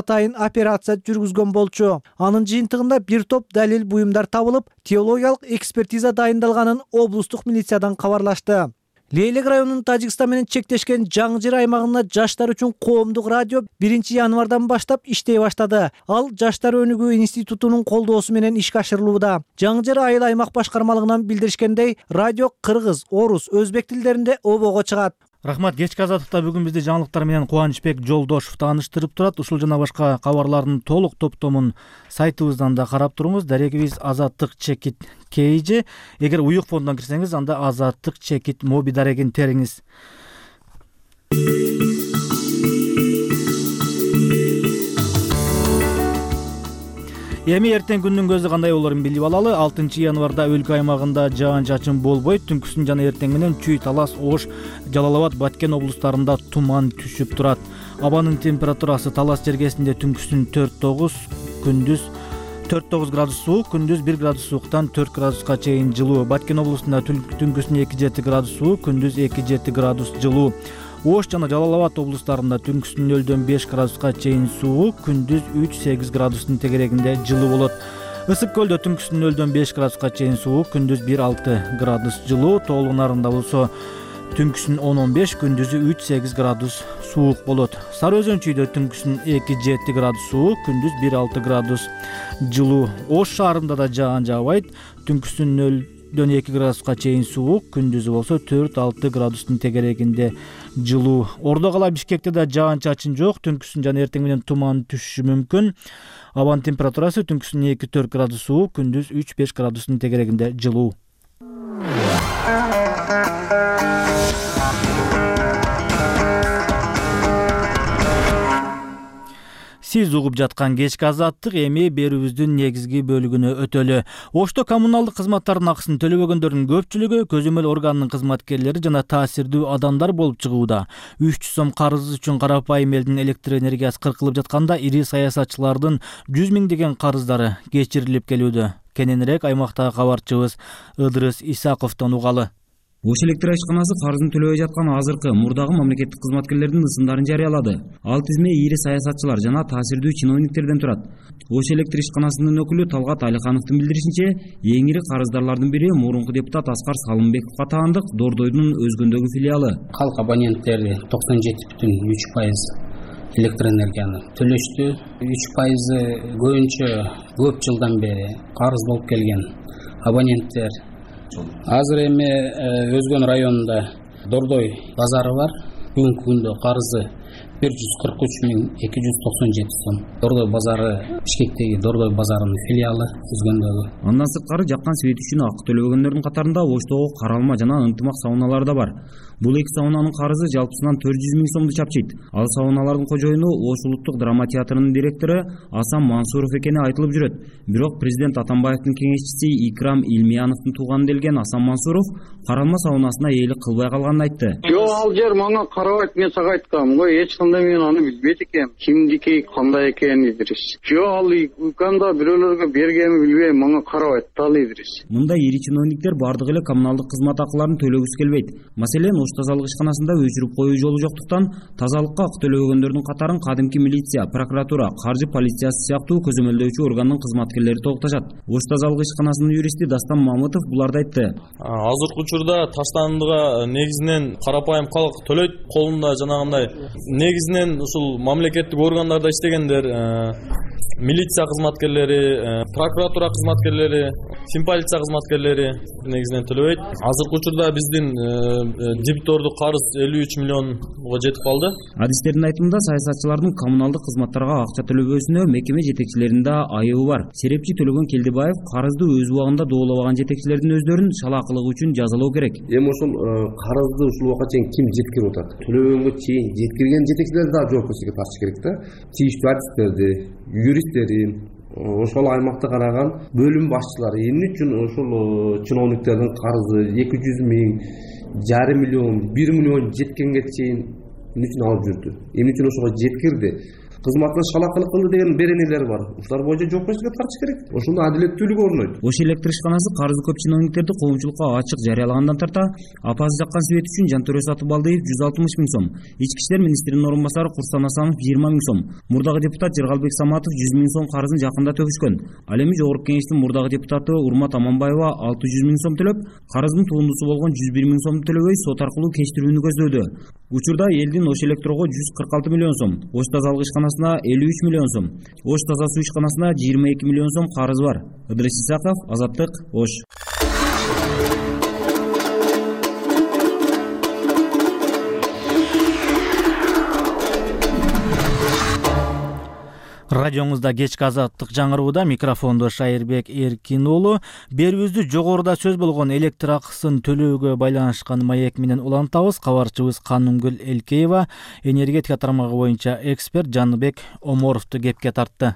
атайын операция жүргүзгөн болчу. Анын жыйынтыгында бир топ далил буюмдар табылып, теологиялык экспертиза дайындалганын облустук милициядан кабарлашты. Лейлек районунун Тажикстан менен чектешкен Жаңы Жер аймагында жаштар үчүн коомдук радио 1 январдан баштап иштей баштады. Ал Жаштар өнүгүү институтунун колдоосу менен ишке ашырылууда. Жаңы Жер айыл аймак башкармалыгынан билдиришкендей, радио кыргыз, орус, өзбек тилдеринде обого чыгат. Рахмат. Кечки азаттыкта бүгүн бизди жаңылыктар менен Кубанычбек Жолдошов тааныштырып турат. Ушул жана башка кабарлардын толук топтомун сайтыбыздан да карап туруңуз. Дарегибиз Азаттык чекит KG. Эгер уюк фондон кирсеңиз, анда Азаттык чекит моби дарегин териңиз. Эми эртең күндүн көзү кандай болорун билип алалы. 6 январда өлкө аймагында жаан-чачын болбойт. Түнкүсүн жана эртең менен Чүй, Талас, Ош, Жалал Абад, Баткен облустарында туман түшүп турат. Абанын температурасы Талас жергесинде түнкүсүн 4-9, күндүз 4-9 градус суук, күндүз 1 градус сууктан 4 градуска чейин жылуу. Баткен облустунда түнкүсүн 2-7 градус суук, күндүз 2-7 градус жылуу. Ош жана Жалал Абад облустарында түнкүсүн 0-дөн 5 градуска чейин суук, күндүз 3-8 градустун тегерегинде жылуу болот. Ысык көлдө түнкүсүн 0-дөн 5 градуска чейин суук, күндүз 1-6 градус жылуу. Тоолуу Нарында болсо түнкүсүн 10-15, күндүзү 3-8 градус суук болот. Сары Өзөн Чүйдө түнкүсүн 2-7 градус суук, күндүз 1-6 градус жылуу. Ош шаарында да жаан жаабайт. Түнкүсүн 0-дөн 2 градуска чейин суук, күндүзү болсо 4-6 градустун тегерегинде жылуу. Ордо кала Бишкекте да жаан-чачын жок. Түнкүсүн жана эртең менен туман түшүшү мүмкүн. Абанын температурасы түнкүсүн 2-4 градус суук, күндүз 3-5 градустун тегерегинде жылуу. Сиз угуп жаткан кечки азаттык эми берүүбүздүн негизги бөлүгүнө өтөлү. Ошто коммуналдык кызматтардын акысын төлөбөгөндөрдүн көпчүлүгү көзөмөл органынын кызматкерлери жана таасирдүү адамдар болуп чыгууда. 300 сом карыз үчүн карапайым элдин электр энергиясы кыркылып жатканда, ири саясатчылардын 100 миңдеген карыздары кечирилип келүүдө. Кененирээк аймактагы кабарчыбыз Ыдырыс Исаковдон угалы. Ош электр ишканасы карызын төлөбөй жаткан азыркы мурдагы мамлекеттик кызматкерлердин ысымдарын жарыялады. Ал тизме ири саясатчылар жана таасирдүү чиновниктерден турат. Ош электр ишканасынын өкүлү Талгат Алихановдун билдиришинче, эң ири карыздарлардын бири мурунку депутат Аскар Салымбековго таандык Дордойдун Өзгөндөгү филиалы. Калк абоненттери 97,3% электр энергияны төлөштү. 3% көбүнчө көп жылдан бери карыз болуп келген абоненттер. Азыр эми Өзгөн районунда Дордой базары бар. Бүгүнкү күндө карызы 143,297 сом. Дордой базары Бишкектеги Дордой базарынын филиалы Өзгөндөгү. Андан сырткары жаккан свет үчүн акы төлөбөгөндөрдүн катарында Оштогу каралма жана ынтымак сауналар да бар. Бул эки саунанын карызы жалпысынан 400 миң сомду чапчыйт. Ал сауналардын кожоюну Ош улуттук драма театрынын директору Асан Мансуров экени айтылып жүрөт. Бирок президент Атамбаевдин кеңешчиси Икрам Илмияновдун тууганы делген Асан Мансуров каралма саунасына ээлик кылбай калганын айтты. Жок, ал жер мага карабайт, мен сага айткам. Эч кандай мен аны билбейт экем. Кимдики, кандай экенин Идрис. Жок, ал уканда бирөөлөргө бергенин билбейм, мага карабайт ал Идрис. Мында ири чиновниктер бардык эле коммуналдык кызмат акыларын төлөгүсү келбейт. Маселен, Ош тазалык ишканасында өчүрүп коюу жолу жоктуктан тазалыкка акы төлөбөгөндөрдүн катарын кадимки милиция, прокуратура, каржы полициясы сыяктуу көзөмөлдөөчү органдын кызматкерлери толукташат. Ош тазалык ишканасынын юристи Дастан Мамытов буларды айтты. Азыркы учурда таштандыга негизинен карапайым калк төлөйт, колунда жанагындай негизинен ушул мамлекеттик органдарда иштегендер, милиция кызматкерлери, прокуратура кызматкерлери, полиция кызматкерлери негизинен төлөбөйт. Азыркы учурда биздин дебитордук карыз 53 миллионго жетип калды. Адистердин айтымында саясатчылардын коммуналдык кызматтарга акча төлөбөсүнө мекеме жетекчилеринде айыбы бар. Серепчи Төлөгөн Келдибаев карызды өз убагында доолобаган жетекчилердин өздөрүн шалаакылыгы үчүн жазалоо керек. Эми ошол карызды ушул убакка чейин ким жеткирип атат? Төлөбөгөнгө чейин жеткирген жетекчилер да жоопкерчиликке тартыш керек да. Тийиштүү адистерди, юристтерин, ошол аймакта караган бөлүм башчылары эмне үчүн ошол чиновниктердин карызы 200 миң, 5 миллион, 1 миллион жеткенге чейин эмне үчүн алып жүрдү? Эмне үчүн ошого жеткирди? кызматын шалакылык кылды деген беренелер бар. Ушулар боюнча жоопкерчиликке тартыш керек. Ошондо адилеттүүлүк орнойт. Ош электр ишканасы карызы көп чиновниктерди коомчулукка ачык жарыялагандан тарта апасы жаккан свет үчүн Жантөре Сатыбалдиев 160 миң сом, Ички иштер министринин орун басары Курсан Асанов 20 миң сом, мурдагы депутат Жыргалбек Саматов 100 миң сом карызын жакында төгүшкөн. Ал эми Жогорку Кеңештин мурдагы депутаты Урмат Аманбаева 600 миң сом төлөп, карыздын турундусу болгон 101 миң сомду төлөбөй сот аркылуу кечтирүүнү көздөдү. Учурда элдин Ош Электрого 146 миллион сом, Ош тазалык ишканасына 53 миллион сом, Ош таза суу ишканасына 22 миллион сом карыз бар. Ыдрис Исаков, Азаттык, Ош. Радиоңузда кечки азаттык жаңырууда, микрофондо Шайырбек Эркин уулу. Берүүбүздү жогоруда сөз болгон электр акысын төлөөгө байланышкан маек менен улантабыз. Кабарчыбыз Канымгүл Элкеева энергетика тармагы боюнча эксперт Жаныбек Оморовду кепке тартты.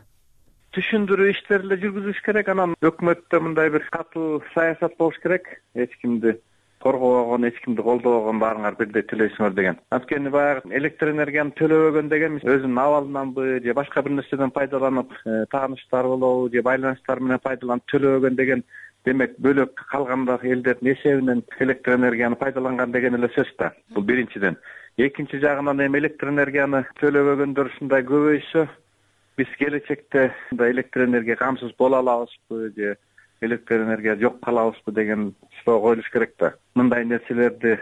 Түшүндүрүү иштерин эле жүргүзүш керек, анан өкмөттө мындай бир катуу саясат болуш керек. Эч кимди коргобогон, эч кимди колдобогон, баарыңар бирдей төлөйсүңөр деген. Анткени баягы электр энергияны төлөбөгөн деген өзүнүн абалынанбы же башка бир нерседен пайдаланып, тааныштар болобу же байланыштар менен пайдаланып төлөбөгөн деген, демек бөлөк калган элдердин эсебинен электр энергияны пайдаланган деген эле сөз да. Бул биринчиден. Экинчи жагынан эми электр энергияны төлөбөгөндөр ушундай көбөйсө, биз келечекте электр энергия камсыз боло алабызбы же электр энергия жок калабызбы деген суроо коюлуш керек да. Мындай нерселерди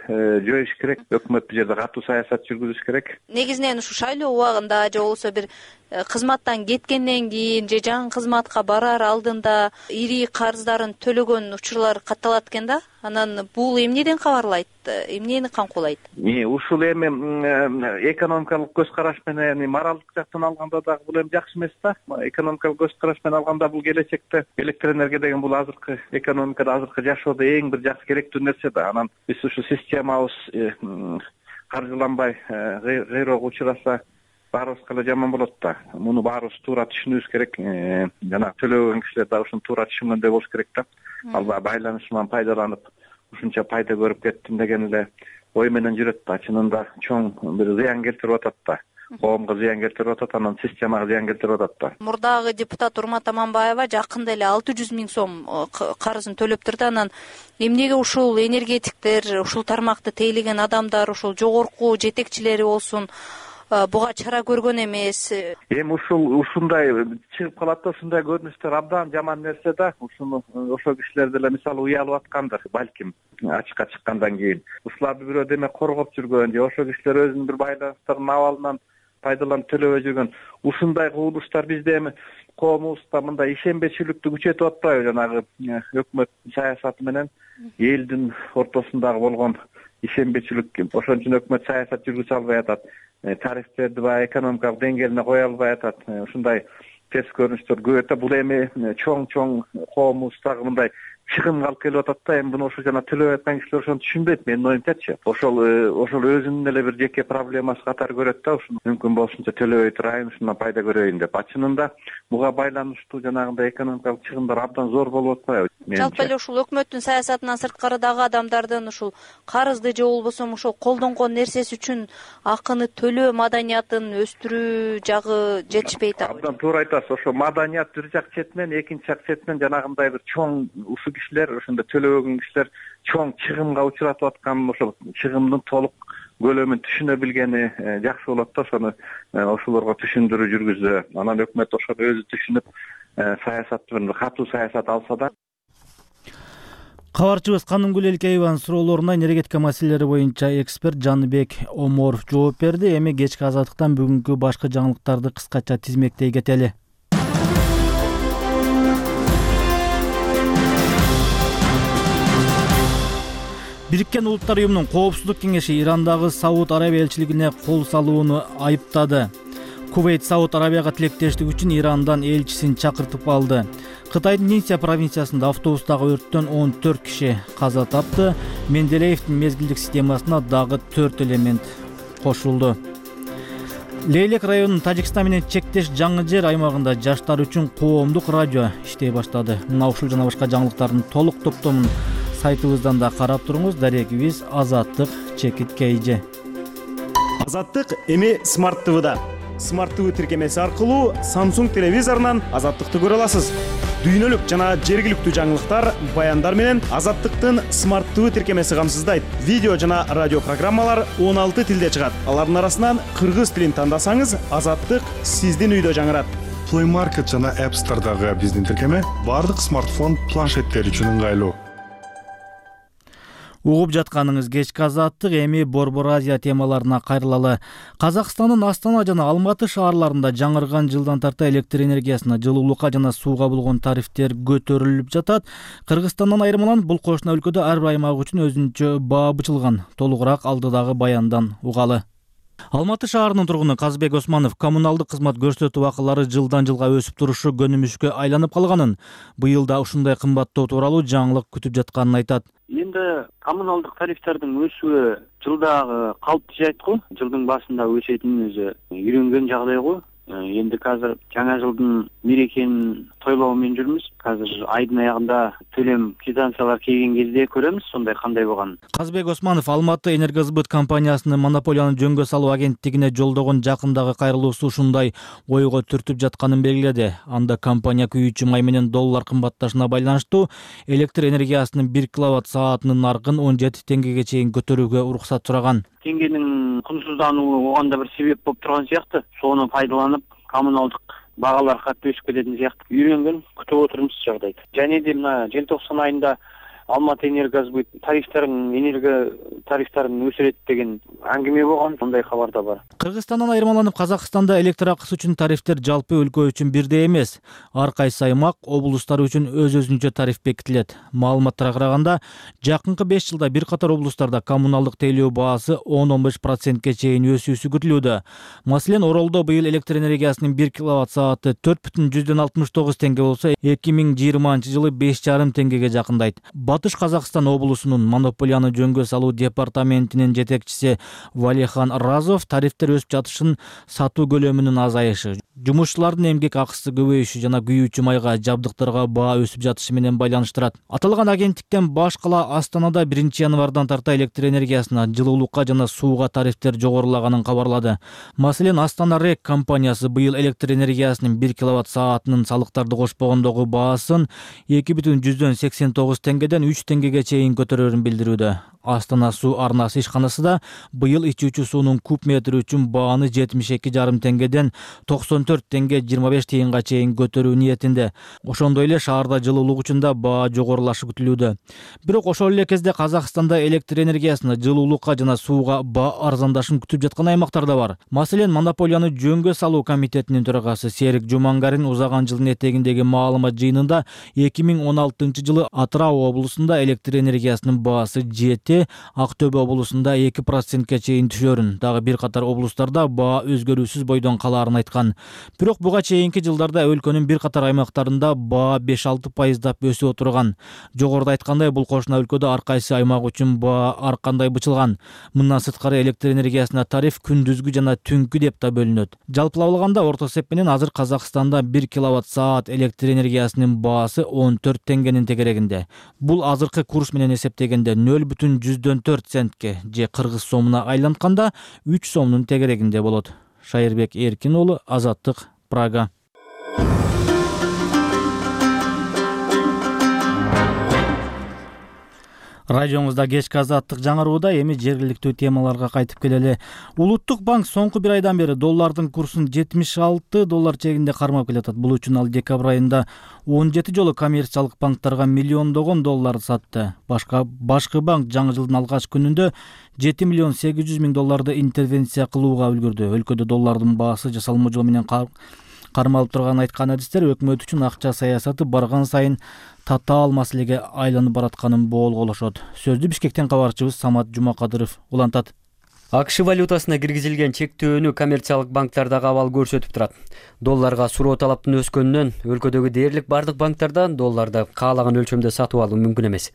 жоюш керек. Өкмөт бул жерде катуу саясат жүргүзүш керек. Негизинен ушу шайлоо убагында же болбосо бир кызматтан кеткенден кийин же жаңы кызматка барар алдында ири карыздарын төлөгөн учурлар катталат экен да. Анан бул эмнеден кабарлайт? Эмнени камкуулайт? Ушул эми экономикалык көз караш менен, моралдык жактан алганда дагы бул эми жакшы эмес да. Экономикалык көз караш менен алганда бул келечекте электр энергия деген бул азыркы экономикада, азыркы жашоодо эң бир жакшы керектүү нерсе да. Анан биз ушу системабыз каржыланбай кыйроого учураса баарыбызга эле жаман болот да. Муну баарыбыз туура түшүнүбүз керек. Жана төлөбөгөн кишилер дагы ушуну туура түшүнгөндөй болуш керек да. Албай байланышынан пайдаланып ушунча пайда көрүп кеттим деген эле ой менен жүрөт да. Чынында чоң бир зыян келтирип атат да. Коомго зыян келтирип атат, анан системага зыян келтирип атат да. Мурдагы депутат Урмат Аманбаева жакында эле 600 миң сом карызын төлөптүр да. Анан эмнеге ушул энергетиктер, ушул тармакты тейлеген адамдар, ушул жогорку жетекчилери болсун, буга чара көргөн эмес? Эми ушундай чыгып калат да, ушундай көрүнүштөр абдан жаман нерсе да. Ушуну ошол кишилер деле мисалы уялып аткандыр, балким ачыкка чыккандан кийин. Ушуларды бирөө демек коргоп жүргөн же ошол кишилер өзүнүн бир байланыштарынын абалынан пайдаланып төлөбөй жүргөн. Ушундай кылмыштар бизде эми коомубузда мындай ишенбечиликти күчөтүп атпайбы? Жанагы өкмөт саясаты менен элдин ортосундагы болгон ишенбечилик. Ошон үчүн өкмөт саясат жүргүзө албай атат. Тарифтерди баягы экономикалык деңгээлине кое албай атат. Ушундай терс көрүнүштөр көбөйөт. Бул эми чоң коомубуздагы мындай чыгымга алып келип атат да. Эми буну ошо жана төлөбөй аткан кишилер ошону түшүнбөйт, менин оюмчачы. Ошол өзүнүн эле бир жеке проблемасы катары көрөт да. Ушуну мүмкүн болушунча төлөбөй турайын, ушундан пайда көрөйүн деп. Чынында буга байланыштуу жанагындай экономикалык чыгымдар абдан зор болуп атпайбы? Жалпы эле ушул өкмөттүн саясатынан сырткарыдагы адамдардын ушул карызды же болбосо ошол колдонгон нерсеси үчүн акыны төлөө маданиятын өстүрүү жагы жетишпейт. Абдан туура айтасыз. Ошо маданият бир жак четинен, экинчи жак четинен жанагындай бир чоң ушул кишилер, ошондо төлөбөгөн кишилер чоң чыгымга учуратып аткан, ошол чыгымдын толук көлөмүн түшүнө билгени жакшы болот да. Ошону ошолорго түшүндүрүү жүргүзүү, анан өкмөт ошону өзү түшүнүп саясатты бир катуу саясат алса да. Кабарчыбыз Канымгүл Элкееванын суроолоруна энергетика маселелери боюнча эксперт Жаныбек Оморов жооп берди. Эми кечки азаттыктан бүгүнкү башкы жаңылыктарды кыскача тизмектей кетели. Бириккен Улуттар Уюмунун Коопсуздук кеңеши Ирандагы Сауд Арабия элчилигине кол салууну айыптады. Кувейт Сауд Арабияга тилектештик үчүн Ирандан элчисин чакыртып алды. Кытайдын Нинсия провинциясында автобустагы өрттөн 14 киши каза тапты. Менделеевдин мезгилдик системасына дагы 4 элемент кошулду. Лейлек районунун Тажикстан менен чектеш жаңы жер аймагында жаштар үчүн коомдук радио иштей баштады. Мына ушул жана башка жаңылыктардын толук топтомун сайтыбыздан да карап туруңуз. Дарегибиз Азаттык /KG. Азаттык эми Смарт ТВда. Smart TV тиркемеси аркылуу Samsung телевизорунан Азаттыкты көрө аласыз. Дүйнөлүк жана жергиликтүү жаңылыктар, баяндар менен Азаттыктын Smart TV тиркемеси камсыздайт. Видео жана радио программалар 16 тилде чыгат. Алардын арасынан кыргыз тилин тандасаңыз, Азаттык сиздин үйдө жаңырат. Play Market жана App Store'дагы биздин тиркеме бардык смартфон, планшеттер үчүн ыңгайлуу. Угуп жатканыңыз кечки Азаттык, эми Борбор Азия темаларына кайрылалы. Казакстандын Астана жана Алматы шаарларында жаңырган жылдан тарта электр энергиясына, жылуулукка жана сууга болгон тарифтер көтөрүлүп жатат. Кыргызстандан айырмаланып, бул кошуна өлкөдө ар бир аймак үчүн өзүнчө баа бычылган. Толугураак алдыдагы баяндан угалы. Алматы шаарынын тургуну Казбек Османов коммуналдык кызмат көрсөтүү акылары жылдан жылга өсүп турушу көнүмүшкө айланып калганын, быйыл да ушундай кымбаттоо тууралуу жаңылык күтүп жатканын айтат. Эми коммуналдык тарифтердин өсүшү жылдагы калыптуу жайт го. Жылдын башында өсөтүнүн өзү үйрөнгөн жагдай го. Эми азыр жаңа жылдын мерекенин тойлоо менен жүрмүз. Азыр айдын аягында төлөм квитанциялар келген кезде көрөмүз сондай кандай болгонун. Казбек Османов Алматы энергосбыт компаниясынын монополияны жөнгө салуу агенттигине жолдогон жакындагы кайрылуусу ушундай ойго түртүп жатканын белгиледи. Анда компания күйүүчү май менен доллар кымбатташына байланыштуу электр энергиясынын 1 киловатт саатынын наркын 17 теңгеге чейин көтөрүүгө уруксат сураган. Теңгенин кунсуздануу оганда бир себеп болуп турган сыяктуу. Сону пайдаланып коммуналдык багалар катты өсүп кететін сыяктуу. Үйрөнгөн күтүп отурмуз жагдайды. Және де мына желтоқсан айында Алматы энергосбыт энерго тарифтерин өсүрөт деген аңгеме болгон, сондай кабар да бар. Кыргызстандан айырмаланып, Казакстанда электр акысы үчүн тарифтер жалпы өлкө үчүн бирдей эмес. Ар кайсы аймак, облустар үчүн өз-өзүнчө тариф бекитилет. Маалыматтарга караганда, жакынкы 5 жылда бир катар облустарда коммуналдык тейлөө баасы 10-15%ке чейин өсүүсү күтүлүүдө. Маселен, Оролдо быйыл электр энергиясынын 1 киловатт сааты 4,69 теңге болсо, 2020 жылы 5,5 теңгеге жакындайт. Батыш Казакстан облусунун монополияны жөнгө салуу департаментинин жетекчиси Валихан Разов тарифтер өсүп жатышын сатуу көлөмүнүн азайышы, жумушчулардын эмгек акысы көбөйүшү жана күйүүчү майга, жабдыктарга баа өсүп жатышы менен байланыштырат. Аталган агенттиктен башкала Астанада 1 январдан тарта электр энергиясына, жылуулукка жана сууга тарифтер жогорулаганын кабарлады. Маселен, Астана РЭК компаниясы быйыл электр энергиясынын 1 киловатт саатынын салыктарды кошпогондогу баасын 2,89 теңгеден 3 теңгеге чейин көтөрөрүн билдирүүдө. Астана суу арнасы ишканасы да быйыл ичүүчү суунун куб метри үчүн бааны 72,5 теңгеден 94 теңге 25 тыйынга чейин көтөрүү ниетинде. Ошондой эле шаарда жылуулук үчүн да баа жогорулашы күтүлүүдө. Бирок ошол эле кезде Казакстанда электр энергиясына, жылуулукка жана сууга баа арзандашын күтүп жаткан аймактар да бар. Маселен, монополияны жөнгө салуу комитетинин төрагасы Серик Жумангарин узаган жылдын этегиндеги маалымат жыйынында 2016 жылы Атырау облусунда электр энергиясынын баасы жети, Актөбө облусунда 2%ке чейин түшөрүн, дагы бир катар облустарда баа өзгөрүүсүз бойдон калаарын айткан. Бирок буга чейинки жылдарда өлкөнүн бир катар аймактарында баа 5-6% өсүп отурган. Жогоруда айткандай, бул кошуна өлкөдө ар кайсы аймак үчүн баа ар кандай бычылган. Мындан сырткары электр энергиясына тариф күндүзгү жана түнкү деп да бөлүнөт. Жалпылап алганда, орто эсеп менен азыр Казакстанда 1 киловатт саат электр энергиясынын баасы 14 теңгенин тегерегинде. Бул азыркы курс менен эсептегенде 0,4 центке же кыргыз сомуна айлантканда 3 сомдун тегерегинде болот. Шайырбек Эркин уулу, Азаттык, Прага. Радиоңузда кечки Азаттык жаңырууда, эми жергиликтүү темаларга кайтып келели. Улуттук банк соңку бир айдан бери доллардын курсун 76 доллар чегинде кармап келатат. Бул үчүн ал декабрь айында 17 жолу коммерциялык банктарга миллиондогон доллар сатты. Башкы банк жаңы жылдын алгач күнүндө 7 миллион 800 миң долларды интервенция кылууга үлгүрдү. Өлкөдө доллардын баасы жасалма жол менен кармалып турганын айткан адистер өкмөт үчүн акча саясаты барган сайын татаал маселеге айланып баратканын боолголошот. Сөздү Бишкектен кабарчыбыз Самат Жумакадыров улантат. АКШ валютасына киргизилген чектөөнү коммерциялык банктардагы абал көрсөтүп турат. Долларга суроо талаптын өскөнүнөн өлкөдөгү дээрлик бардык банктардан долларды каалаган өлчөмдө сатып алуу мүмкүн эмес.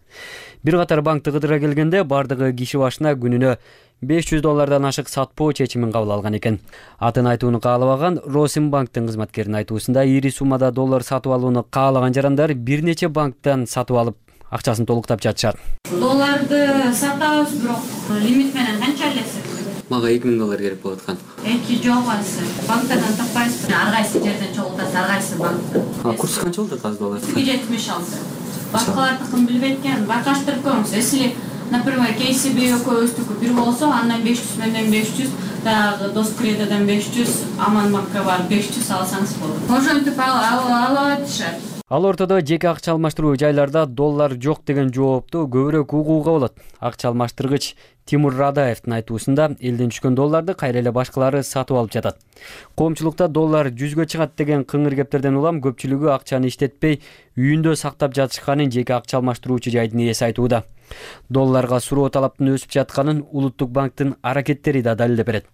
Бир катар банкты кыдыра келгенде бардыгы киши башына күнүнө 500 доллардан ашык сатпоо чечимин кабыл алган экен. Атын айтууну каалабаган Росимбанктын кызматкеринин айтуусунда ири суммада доллар сатып алууну каалаган жарандар бир нече банктан сатып алып акчасын толуктап жатышат. Долларды сатабыз, бирок лимит менен канча элесиз? Мага $2000 керек болуп аткан. Эки жок алсы. Банктардан таппайсызбы? Ар кайсы жерден чогултасыз, ар кайсы банктан. Курс канча болот азыр доллар? 76. Башкалардыкын билбейт экен. Байкаштырып көрүңүз. Если, например, KCB экөөбүздүкү бир болсо, андан 500 менен 500, дагы Доскредодан 500, Аман банкка барып 500 алсаңыз болот. Ошентип алып атышат. Ал ортодо жеке акча алмаштыруу жайларда доллар жок деген жоопту көбүрөөк угууга болот. Акча алмаштыргыч Тимур Радаевдин айтуусунда элден түшкөн долларды кайра эле башкалары сатып алып жатат. Коомчулукта доллар 100гө чыгат деген кыңыр кептерден улам көпчүлүгү акчаны иштетпей үйүндө сактап жатышканын жеке акча алмаштыруучу жайдын ээси айтууда. Долларга суроо талаптын өсүп жатканын Улуттук банктын аракеттери да далилдеп берет.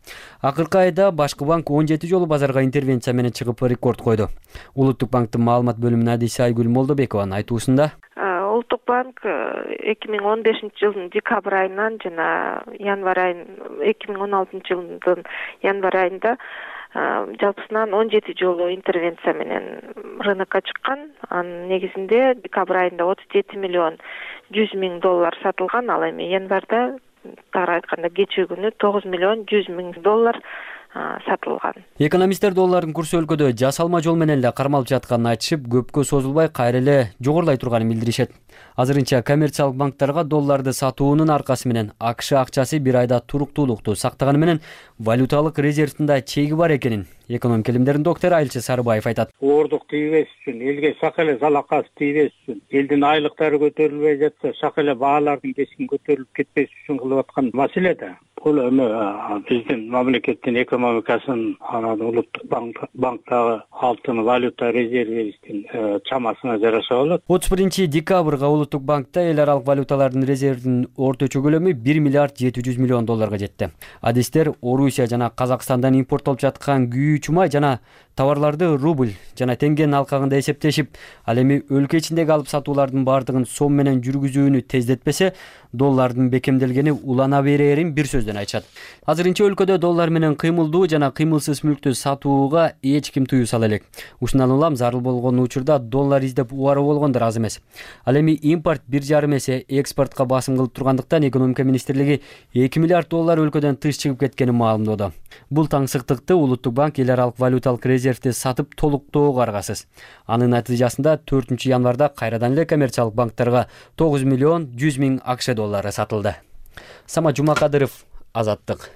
Акыркы айда башкы банк 17 жолу базарга интервенция менен чыгып рекорд койду. Улуттук банктын маалымат бөлүмүнүн адиси Айгүл Молдобекованын айтуусунда Улуттук банк 2015-жылдын декабрь айынан жана январь айын 2016-жылдын январь айында жалпысынан 17 жолу интервенция менен рынокко чыккан. Анын негизинде декабрь айында 37 миллион 100 миң доллар сатылган, ал эми январда тагыраак айтканда кечээ күнү 9 миллион 100 миң доллар сатылган. Экономисттер доллардын курсу өлкөдө жасалма жол менен эле кармалып жатканын айтышып, көпкө созулбай кайра эле жогорулай турганын билдиришет. Азырынча коммерциялык банктарга долларды сатуунун аркасы менен АКШ акчасы бир айда туруктуулукту сактаганы менен валюталык резервдин да чеги бар экенин экономика илимдеринин доктору Айылчы Сарыбаев айтат. Оордук тийбеш үчүн, элге шак эле залакасы тийбеш үчүн, элдин айлыктары көтөрүлбөй жатса, шак эле баалардын кескин көтөрүлүп кетпеш үчүн кылып аткан маселе да. Бул эми биздин мамлекеттин экономикасын, анан Улуттук банктагы алтын валюта резервибиздин чамасына жараша болот. 31 декабрга Улуттук банкта эл аралык валюталардын резервдин орточо көлөмү 1 миллиард 700 миллион долларга жетти. Адистер Орусия жана Казакстандан импорттолуп жаткан күйүү чумай жана товарларды рубль жана теңгенин алкагында эсептешип, ал эми өлкө ичиндеги алып сатуулардын бардыгын сом менен жүргүзүүнү тездетпесе, доллардын бекемделгени улана берерин бир сөздөн айтышат. Азырынча өлкөдө доллар менен кыймылдуу жана кыймылсыз мүлктү сатууга эч ким тыюу сала элек. Ушундан улам зарыл болгон учурда доллар издеп убаруу болгондор аз эмес. Ал эми импорт 1,5 эсе экспортко басым кылып тургандыктан экономика министрлиги 2 миллиард доллар өлкөдөн тыш чыгып кеткенин маалымдоодо. Бул таңсыктыкты Улуттук банк эл аралык валюталык резервди сатып толуктоого аргасыз. Анын натыйжасында 4 январда кайрадан эле коммерциялык банктарга 9 миллион 100 миң АКШ доллары сатылды. Сама Жумакадыров, Азаттык.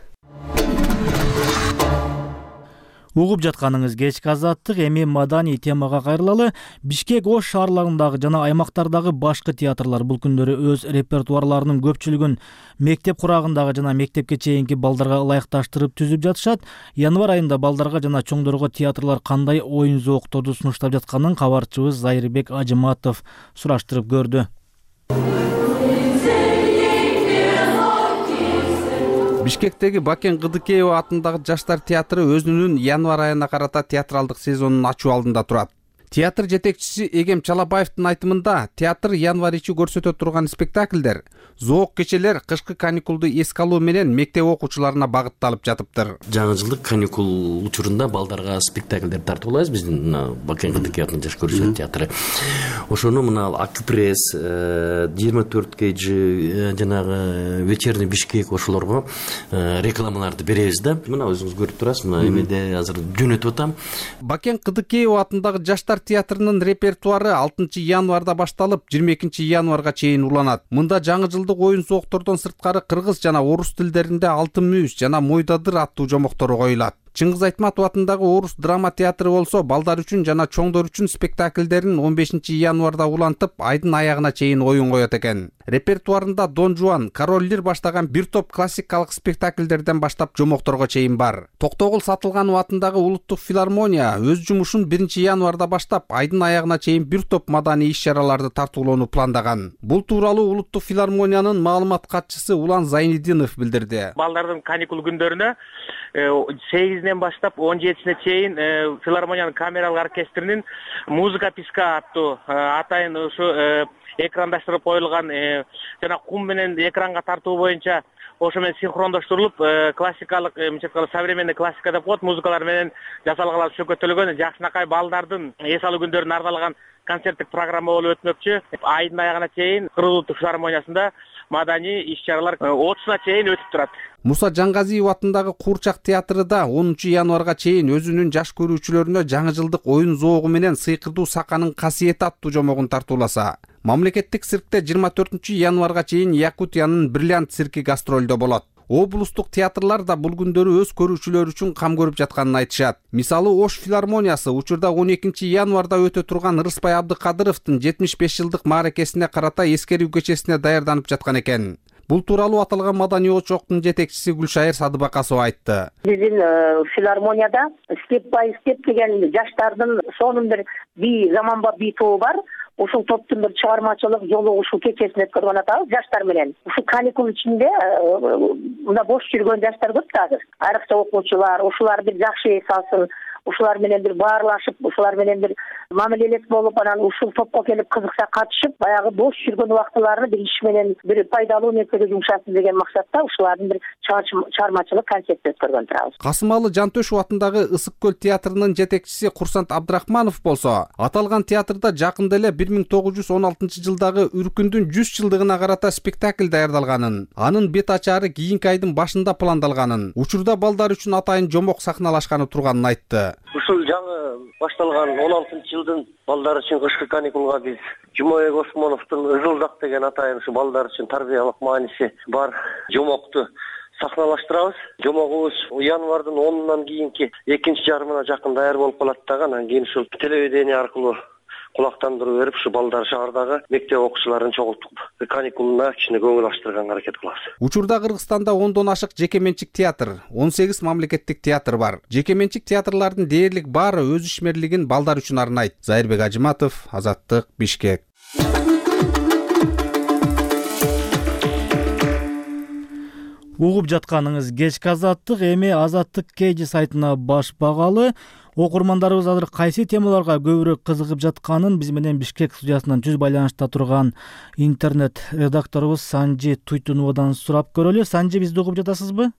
Угуп жатканыңыз кечки Азаттык. Эми маданий темага кайрылалы. Бишкек Ош шаарларындагы жана аймактардагы башкы театрлар бул күндөрү өз репертуарларынын көпчүлүгүн мектеп курагындагы жана мектепке чейинки балдарга ылайыкташтырып түзүп жатышат. Январь айында балдарга жана чоңдорго театрлар кандай оюн зоокторду сунуштап жатканын кабарчыбыз Зайырбек Ажыматов сураштырып көрдү. Бишкектеги Бакен Кыдыкеева атындагы жаштар театры өзүнүн январь айына карата театралдык сезонун ачуу алдында турат. Театр жетекчиси Эгем Чалабаевдин айтымында, театр январь ичи көрсөтө турган спектакльдер, зоок кечелер кышкы каникулду эске алуу менен мектеп окуучуларына багытталып жатыптыр. Жаңы жылдык каникул учурунда балдарга спектакльдер тартып алабыз биздин Бакен Кыдыкеевдин жаш көркөзүү театры. Ошону мына Акипресс, 24 KG жанагы вечерний Бишкек ошолорго рекламаларды беребиз да. Мына өзүңүз көрүп турасыз, мына эмеде азыр жөнөтүп атам. Бакен Кыдыкеева атындагы жаштар театрынын репертуары 6 январда башталып, 22 январга чейин уланат. Мында жаңы жылдык оюн зооктордон сырткары кыргыз жана орус тилдеринде Алтын мүйүз жана Мойдадыр аттуу жомоктор коюлат. Чыңгыз Айтматов атындагы Орус драма театры болсо балдар үчүн жана чоңдор үчүн спектакльдерин 15 январда улантып, айдын аягына чейин оюн коет экен. Репертуарында Дон Жуан, Король Лир баштаган бир топ классикалык спектакльдерден баштап жомокторго чейин бар. Токтогул Сатылганов атындагы Улуттук филармония өз жумушун 1 январда баштап, айдын аягына чейин бир топ маданий иш-чараларды тартуулоону пландаган. Бул тууралуу Улуттук филармониянын маалымат катчысы Улан Зайнидинов билдирди. Балдардын каникул күндөрүнө 8-ден баштап 17-сине чейин филармониянын камералык оркестринин музыка писка аттуу атайын ушу экрандаштырып коюлган жана кум менен экранга тартуу боюнча ошо менен синхрондоштурулуп классикалык современный классика деп коет музыкалар менен жасалган шөкөттөлгөн жакшынакай балдардын эс алуу күндөрүнө арналган концерттик программа болуп өтмөкчү. Айдын аягына чейин Кыргыз Улуттук филармониясында маданий иш чаралар 30-на чейин өтүп турат. Муса Жангазиев атындагы Куурчак театры да 10 январга чейин өзүнүн жаш көрүүчүлөрүнө жаңы жылдык оюн зоогу менен Сыйкырдуу Саканын касиети аттуу жомогун тартууласа. Мамлекеттик циркте 24 январга чейин Якутиянын Бриллиант цирки гастролдо болот. Облустук театрлар да бул күндөрү өз көрүүчүлөр үчүн кам көрүп жатканын айтышат. Мисалы, Ош филармониясы учурда 12 январда өтө турган Рыспай Абдыкадыровдун 75 жылдык мааракесине карата эскерүү кечесине даярданып жаткан экен. Бул тууралуу аталган маданий очоктун жетекчиси Гүлшайыр Садыбакасова айтты. Биздин филармонияда степ бай степ деген жаштардын сонун бир бий, заманба бий тобу бар. Ушул топтун бир чыгармачылык жолугушуу кечесин өткөрүп атабыз жаштар менен. Ушул каникул ичинде мына бош жүргөн жаштар көп да азыр. Айрыкча окуучулар, ушулар бир жакшы эс алсын, ушулар менен бир баарлашып, ушулар менен бир мамилелес болуп, анан ушул топко келип кызыкса катышып, баягы бош жүргөн убактыларны бир иш менен бир пайдалуу нерсеге жумшасын деген максатта ушулардын бир чыгармачылык концерт өткөргөн турабыз. Касымалы Жантөшев атындагы Ысык көл театрынын жетекчиси Курсант Абдрахманов болсо, аталган театрда жакында эле 1916 жылдагы Үркүндүн 100 жылдыгына карата спектакль даярдалганын, анын бет ачары кийинки айдын башында пландалганын, учурда балдар үчүн атайын жомок сахналашканы турганын айтты. Ушул жаңы башталган 16-жылдын балдар үчүн кышкы каникулга биз Жумабек Осмоновдун Ызылдак деген атайын ушу балдар үчүн тарбиялык мааниси бар жомокту сахналаштырабыз. Жомогубуз январдын 10-нан кийинки экинчи жарымына жакын даяр болуп калат дагы, анан кийин ушул телевидение аркылуу кулактандыруу берип, ушу балдар шаардагы мектеп окуучуларын чогултуп, каникулуна кичине көңүл ачтырганга аракет кылабыз. Учурда Кыргызстанда 10дон ашык жеке менчик театр, 18 мамлекеттик театр бар. Жеке менчик театрлардын дээрлик баары өз ишмерлигин балдар үчүн арнайт. Зайырбек Ажыматов, Азаттык, Бишкек. Угуп жатканыңыз кечки Азаттык, эми Азаттык KG сайтына баш багалы. Окурмандарыбыз азыр кайсы темаларга көбүрөөк кызыгып жатканын биз менен Бишкек студиясынан жүз байланышта турган интернет редакторубуз Санжи Туйтуновадан сурап көрөлү. Санжи, бизди угуп жатасызбы?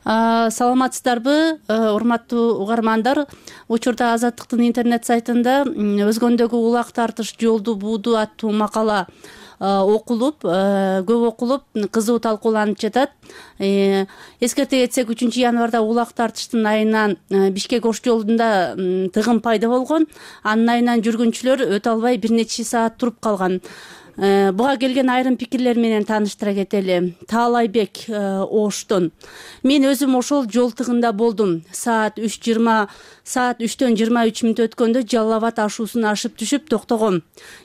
Саламатсыздарбы, урматтуу угармандар. Учурда Азаттыктын интернет сайтында өзгөндөгү улак тартыш жолду бууду аттуу макала окулуп, көп окулуп, кызуу талкууланып жатат. Эскерте кетсек, 3 январда улак тартыштын айынан Бишкек Ош жолунда тыгын пайда болгон. Анын айынан жүргүнчүлөр өтө албай бир нече саат туруп калган. Буга келген айрым пикирлер менен тааныштыра кетели. Таалайбек Оштон. Мен өзүм ошол жол тыгында болдум. Саат 3:20 мүнөт өткөндө Жалал Абад ашуусун ашып түшүп токтогом.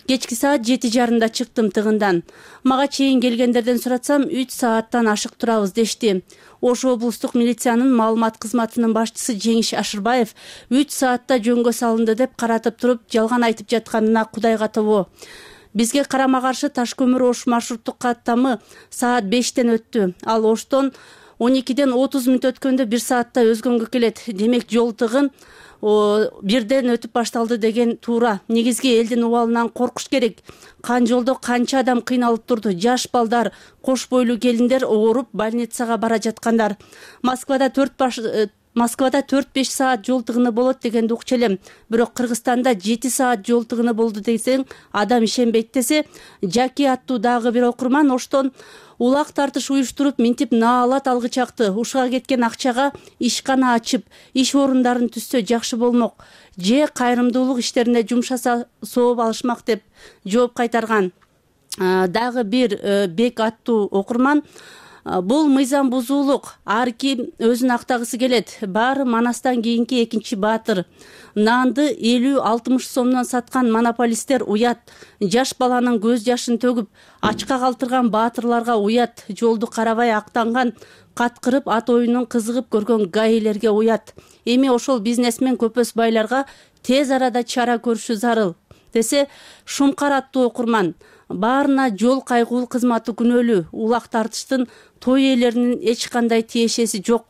Кечки саат 7:30 чыктым тыгындан. Мага чейин келгендерден суратсам 3 сааттан ашык турабыз дешти. Ош облустук милициянын маалымат кызматынын башчысы Жеңиш Ашырбаев 3 саатта жөнгө салынды деп каратып туруп, жалган айтып жатканына Кудайга тобо. Бизге карама каршы Таш көмүр Ош маршруттук каттамы саат 5-тен өттү. Ал Оштон 12-ден 30 мүнөт өткөндө 1 саатта өзгөнгө келет. Демек жол тыгын 1-ден өтүп башталды деген туура. Негизги элдин убалынан коркуш керек. Кан жолдо канча адам кыйналып турду. Жаш балдар, кош бойлуу келиндер ооруп больницага бара жаткандар. Москвада 4-5 саат жол тыгыны болот дегенди укчу элем. Бирок Кыргызстанда 7 саат жол тыгыны болду десең, адам ишенбейт десе, Жаки аттуу дагы бир окурман Оштон улак тартыш уюштуруп, минтип наалат алгыч акты. Ушуга кеткен акчага ишкана ачып, иш орундарын түзсө жакшы болмок. Же кайрымдуулук иштерине жумшаса сооп алышмак деп жооп кайтарган. Дагы бир Бек аттуу окурман бул мыйзам бузуулук. Ар ким өзүн актагысы келет. Баары Манастан кийинки экинчи баатыр. Наанды 50-60 сомдон саткан монополисттер уят. Жаш баланын көз жашын төгүп, ачка калтырган баатырларга уят. Жолду карабай актанган, каткырып ат оюнун кызыгып көргөн гаилерге уят. Эми ошол бизнесмен көпөс байларга тез арада чара көрүшү зарыл десе, Шумкар аттуу окурман баарына жол кайгуул кызматы күнөөлүү. Улак тартыштын той ээлеринин эч кандай тиешеси жок.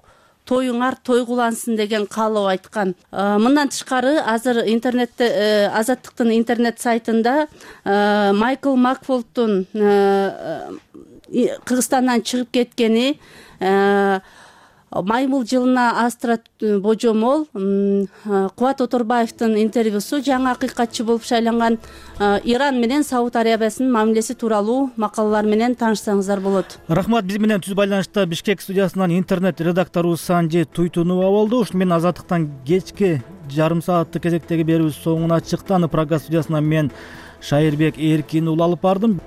Тоюңар тойгулансын деген каалоо айткан. Мындан тышкары азыр интернетте Азаттыктын интернет сайтында Майкл Макфолдтун Кыргызстандан чыгып кеткени, Маймыл жылына Астра божомол Кубат Оторбаевдин интервьюсу жаңы акыйкатчы болуп шайланган Иран менен Сауд Арабиясынын мамилеси тууралуу макалалар менен таанышсаңыздар болот. Рахмат. Биз менен түз байланышта Бишкек студиясынан интернет редактору Санжи Туйтунова болду. Ушуну менен Азаттыктан кечки жарым сааттык кезектеги берүүбүз соңуна чыкты. Аны Прага студиясынан мен Шайырбек Эркин улы алып бардым.